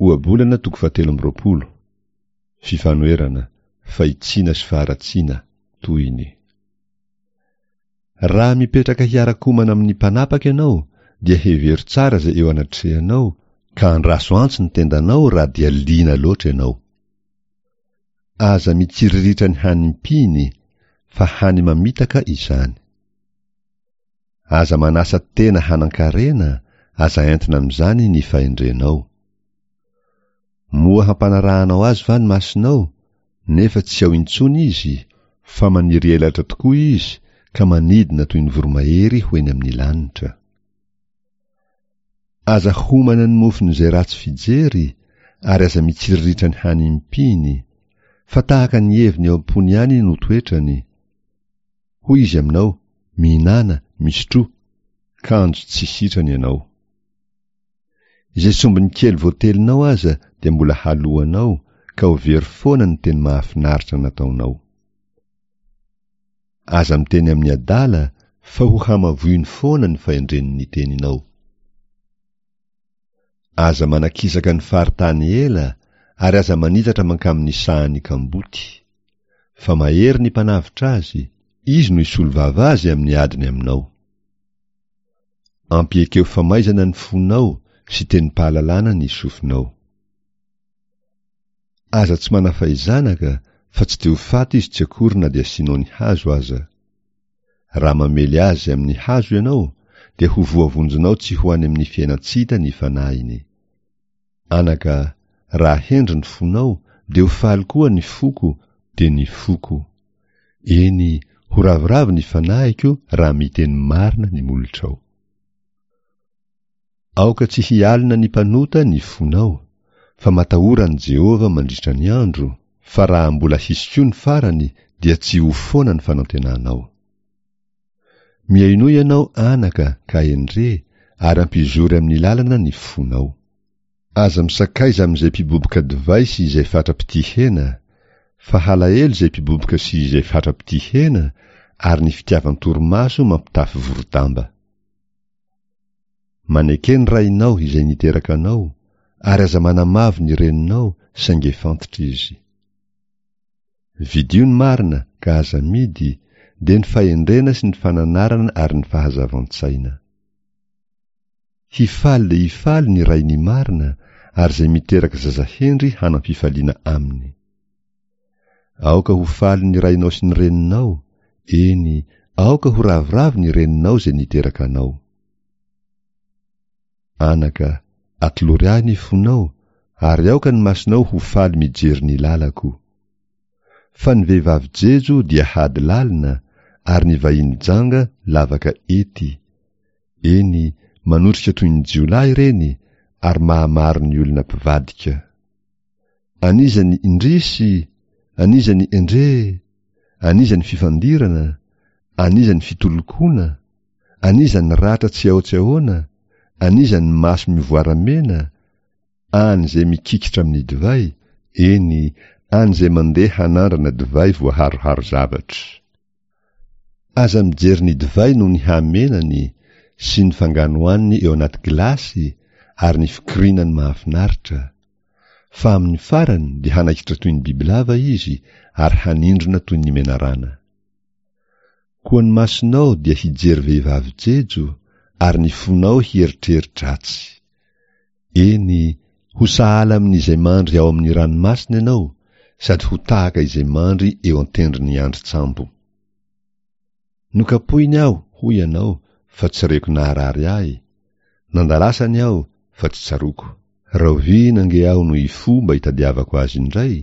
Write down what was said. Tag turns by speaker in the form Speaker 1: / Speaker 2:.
Speaker 1: Ohabolana toko fahatelo amby 20. Fifanoherana, fahitsiana sy faharatsiana, tohiny. Raha mipetraka hiara-komana amin'ny mpanapaka ianao, dia hevero tsara izay eo anatrehanao, ka andraso antsy ny tendanao raha dia liana loatra ianao. Aza mitsiriritra ny hanim-piny, fa hany mamitaka izany. Aza manasa tena hanan-karena, aza entina amin'izany ny fahendrenao. Moa hampanarahanao azy va ny masonao, nefa tsy ao intsony izy? Fa maniry elatra tokoa izy ka manidina toy ny voromahery ho eny amin'ny lanitra. Aza homana ny mofon'izay ratsy fijery, ary aza mitsiriritra ny hanim-piny, fa tahaka ny heviny ao am-pony ihany no toetrany. Hoy izy aminao, Mihinàna, misotroa, kanjo tsy sitrany ianao. Izay sombiny kely voatelinao aza dia mbola haloanao ka ho very foana ny teny mahafinaritra nataonao. Aza miteny amin'ny adala fa ho hamavoiny foana ny fahendren'ny teninao. Aza manakisaka ny faritany ela ary aza manitatra mankamin'ny sahan'ny kamboty. Fa mahery ny mpanavotra azy, izy no hisolo vava azy amin'ny adiny aminao. Ampiekeo famaizana ny fonao sy tenim-pahalalana ny sofinao. Aza tsy manafay zanaka fa tsy dia ho faty izy tsy akory na dia asianao ny hazo aza. Raha mamely azy amin'ny hazo ianao dia ho voavonjinao tsy ho any amin'ny fiainan-tsy hita ny fanahiny. Anaka, raha hendry ny fonao dia ho faly koa ny foko dia ny foko. Eny, ho ravoravo ny fanahiko raha miteny marina ny molotrao. Aoka tsy hialona ny mpanota ny fonao, fa matahora an'i Jehovah mandritra ny andro, fa raha mbola hisy koa ny farany dia tsy ho foana ny fanantenanao. Mihainoa ianao anaka ka hendre, ary ampizory amin'ny lalana ny fonao. Aza misakaiza amin'izay mpiboboka divay sy izay fatra-pitia hena, fa halahelo izay mpiboboka sy izay fatra-pitia hena, ary ny fitiavan-torimaso mampitafy vorodamba. Maneke ny rainao izay niteraka anao, ary aza manamavo ny reninao saingy efa antitra izy. Vidio ny marina ka aza amidy, dia ny fahendrena sy ny fananarana ary ny fahazavan-tsaina. Hifaly dia hifaly ny rain'ny marina ary izay miteraka zaza hendry hanam-pifaliana aminy. Aoka ho faly ny rainao sy ny reninao, eny, aoka ho ravoravo ny reninao izay niteraka anao. Anaka, atolory ahy ny fonao, ary aoka ny masonao ho faly mijery ny lalako. Fa ny vehivavy jejo dia hady lalina, ary ny vahiny janga lavaka ety. Eny, manotrika toy ny jiolahy ireny, ary mahamaro ny olona mpivadika. An'iza ny indrisy? An'iza ny endre? An'iza ny fifandirana? An'iza ny fitolokoana? An'iza ny ratra tsy ao tsy ahoana? An'iza ny maso mivoaramena? Any izay mikikitra amin'ny divay, eny, any izay mandeha hanandrana divay voaharoharo zavatra. Aza mijery ny divay noho ny hamenany sy ny fanganohaniny eo anaty gilasy ary ny fikirinany mahafinaritra, fa amin'ny farany dia hanaikitra toy ny bibilava izy ary hanindrona toy ny menarana. Koa ny masonao dia hijery vehivavy jejo ary ny fonao hieritreri-dratsy. Eny, ho sahala amin'izay mandry ao amin'ny ranomasina ianao, sady ho tahaka izay mandry eo an-tendron'ny andrin-tsambo. Nokapohiny aho, hoy ianao, fa tsy reko naharary ahy, nandalasany aho, fa tsy tsaroako. Rahoviana ange aho no hifoha mba hitadiavako azy indray?